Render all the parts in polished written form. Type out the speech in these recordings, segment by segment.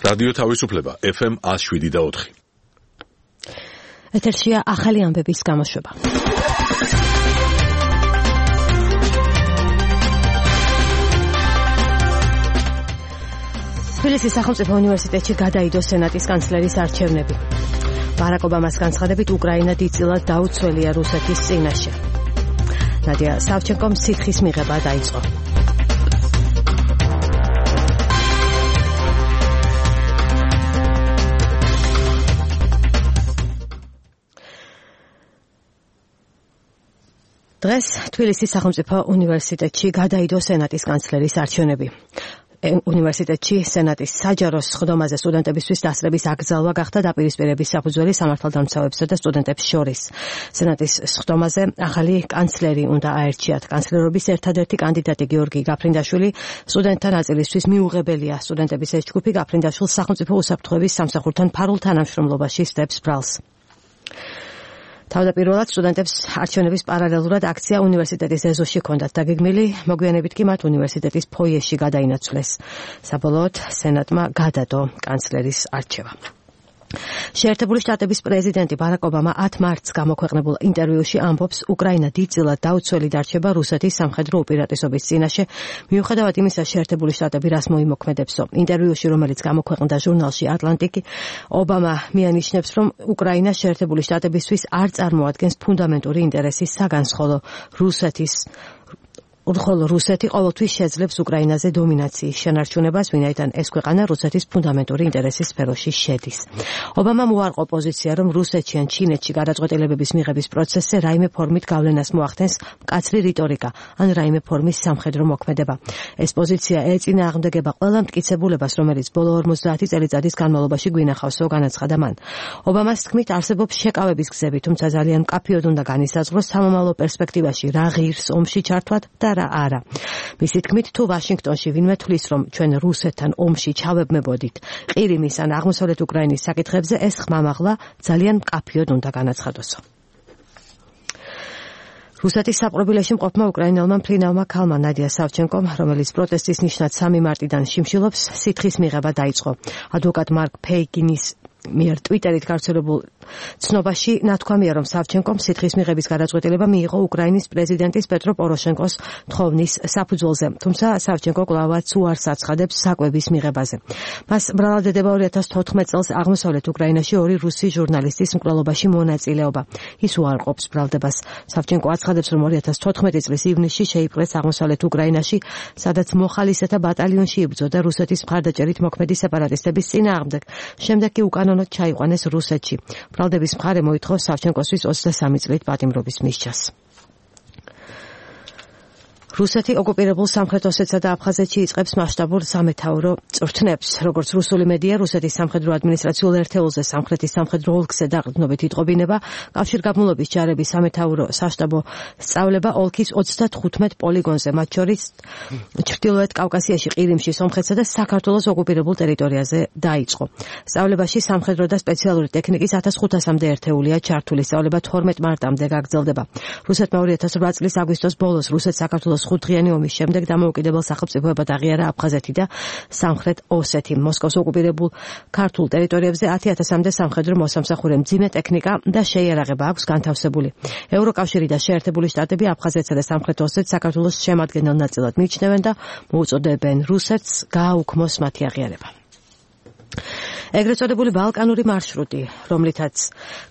რადიო თავისუფლება FM 107.4. ეთერშია ახალი ამბების გამოშვება. თბილისის სახელმწიფო უნივერსიტეტში გადაიდო სენატის კანცლერის არჩევნები. ბარაკ ობამას განცხადებით უკრაინა დიდწილად დაუცველია რუსეთის წინაშე. ნადია სავჩენკომ სითხის მიღება დაიწყო. დღეს თბილისის სახელმწიფო უნივერსიტეტში გადაიდო სენატის კანცლერის არჩევნები. უნივერსიტეტში სენატის საჯარო სხდომაზე სტუდენტებისთვის დასწრების აკრძალვა გახდა დაპირისპირების საფუძველი სამართალდამცავებსა და სტუდენტებს შორის. სენატის სხდომაზე ახალი კანცლერი უნდა აერჩიათ. კანცლერობის ერთადერთი კანდიდატი გიორგი გაფრინდაშვილი სტუდენტთა ნაწილისთვის მიუღებელია. სტუდენტების ეს ჯგუფი გაფრინდაშვილს სახელმწიფო უსაფრთხოების სამსახურთან ფარულ თანამშრომლობაში სდებს ბრალს. თავდაპირველად სტუდენტებს არჩევნების პარალელურად აქცია უნივერსიტეტის ეზოში ჰქონდათ დაგეგმილი, მოგვიანებით კი მათ უნივერსიტეტის ფოიეში გადაინაცვლეს. საბოლოოდ სენატმა გადადო კანცლერის არჩევა. შეერთებული შტატების პრეზიდენტი ბარაკ ობამა 10 მარტს გამოქვეყნებულ ინტერვიუში ამბობს, უკრაინა დიდწილად დაუცველი დარჩება რუსეთის სამხედრო უპირატესობის წინაშე, მიუხედავად იმისა, შეერთებული შტატები რას მოიმოქმედებსო. ინტერვიუში, რომელიც გამოქვეყნდა ჟურნალში ატლანტიკი, ობამა მიანიშნებს, რომ უკრაინა შეერთებული შტატებისთვის არ წარმოადგენს ფუნდამენტური ინტერესის საგანს, ხოლო რუსეთი ყოველთვის შეძლებს უკრაინაზე დომინაციის შენარჩუნებას, ვინაიდან ეს ქვეყანა რუსეთის ფუნდამენტური ინტერესის სფეროში შედის. ობამამ უარყო პოზიცია, რომ რუსეთში ან ჩინეთში გადაწყვეტილებების მიღების პროცესზე რაიმე ფორმით გავლენას მოახდენს მკაცრი რიტორიკა ან რაიმე ფორმის სამხედრო მოქმედება. ეს პოზიცია ეწინააღმდეგება ყველა მტკიცებულებას, რომელიც ბოლო 50 წელიწადის განმავლობაში გვინახავსო, განაცხადა მან. ობამას თქმით, არსებობს შეკავების გზები, თუმცა ძალიან მკაფიოდ უნდა განისაზღვროს სამომავლო პერსპექტივაში რა ღირს ომში ჩართვად და არა. მისი თქმით, თუ ვაშინგტონში ვინმე თვლის, რომ ჩვენ რუსეთთან ომში ჩავებმებოდით ყირიმის ან აღმოსავლეთ უკრაინის საკითხებზე, ეს ხმამაღლა ძალიან მკაფიოდ უნდა განაცხადოსო. რუსეთის საპყრობილეში მყოფმა უკრაინელმა მფრინავმა ქალმა ნადია სავჩენკომ, რომელიც პროტესტის ნიშნად 3 მარტიდან შიმშილობს, სითხის მიღება დაიწყო. ადვოკატ მარკ ფეიგინის მიერ ტვიტერით გავრცელებულ ცნობაში ნათქვამია, რომ სავჩენკომ სითხის მიღების გადაწყვეტილება მიიღო უკრაინის პრეზიდენტის პეტრო პოროშენკოს თხოვნის საფუძველზე, თუმცა სავჩენკო კვლავაც უარს აცხადებს საკვების მიღებაზე. მას ბრალადდება 2014 წელს აღმოსავლეთ უკრაინაში 2 რუსი ჟურნალისტის მკვლელობაში მონაწილეობა. ის უარყოფს ბრალდებას. სავჩენკო აცხადებს, რომ 2014 წლის ივნისში შეიპყრეს აღმოსავლეთ უკრაინაში, სადაც მოხალისეთა ბატალიონში იბრძოდა რუსეთის მხარდაჭერით მოქმედი სეპარატისტების წინააღმდეგ. შემდეგ კი უკანონოდ ჩაიყვანეს რუსეთში. ბრალდების მხარე მოითხოვს სავჩენკოსთვის 23 წლით პატიმრობის მისჯას. რუსეთი ოკუპირებულ სამხრეთ ოსეთსა და აფხაზეთში იწყებს მასშტაბურ სამეთაურო წვრთნებს. როგორც რუსული მედია, რუსეთის სამხედრო ადმინისტრაციულ ერთეულზე სამხრეთის სამხედრო ოლქზე დაყრდნობით იტყობინება, კავშირგაბმულობის ჯარების სამეთაურო საშტაბო სწავლება ოლქის 35 პოლიგონზე, მათ შორის ჩრდილოეთ კავკასიაში, ყირიმში, სომხეთსა და საქართველოს ოკუპირებულ ტერიტორიაზე დაიწყო. სწავლებაში სამხედრო და სპეციალური ტექნიკის 1500-მდე ერთეულია ჩართული. სწავლება 12 მარტამდე გაგრძელდება. რუსეთმა 2008 წლის აგვისტოს ბოლოს რუსეთ-საქართველოს 5დღიანი ომის შემდეგ დამოუკიდებელ სახელმწიფოებად აღიარა აფხაზეთი და სამხრეთ ოსეთი. მოსკოვს ოკუპირებულ ქართულ ტერიტორიებზე 10,000-მდე სამხედრო მოსამსახურე, მძიმე ტექნიკა და შეიარაღება აქვს განთავსებული. ევროკავშირი და შეერთებული შტატები აფხაზეთსა და სამხრეთ ოსეთს საქართველოს შემადგენელ ნაწილად მიიჩნევენ და მოუწოდებენ რუსეთს გააუქმოს მათი აღიარება. ეგრეთ წოდებული ბალკანური მარშრუტი, რომლითაც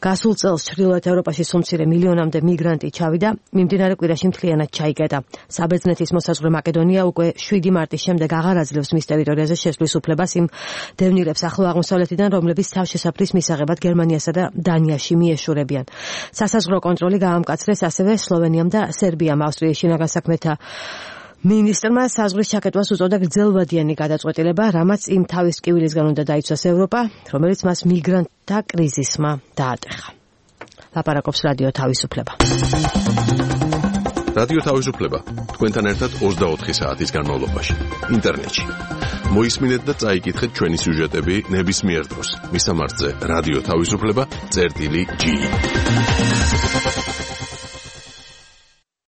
გასულ წელს ჩრდილოეთ ევროპაში სულ-მცირე მილიონამდე მიგრანტი ჩავიდა, მიმდინარე კვირაში მთლიანად ჩაიკეტა. საბერძნეთის მოსაზღვრე მაკედონია უკვე 7 მარტის შემდეგ აღარ აძლევს მის ტერიტორიაზე შესვლის უფლებას იმ დევნილებს ახლო აღმოსავლეთიდან, რომლებიც თავშესაფრის მისაღებად გერმანიასა და დანიაში მიეშურებიან. სასაზღვრო კონტროლი გაამკაცრეს ასევე სლოვენიამ და სერბიამ. ავსტრიის შინაგან საქმეთა მინისტრმა საზღვრის ჩაკეტვას უწოდა გრძელვადიანი გადაწყვეტილება, რამაც იმ თავის ტკივილისგან უნდა დაიცვას ევროპა, რომელიც მას მიგრანტთა კრიზისმა დაატეხა. ლაპარაკობს რადიო თავისუფლება. რადიო თავისუფლება თქვენთან ერთად 24 საათის განმავლობაში ინტერნეტში. მოისმინეთ და წაიკითხეთ ჩვენი სიუჟეტები ნებისმიერ დროს. მისამართზე რადიო თავისუფლება წერტილი G.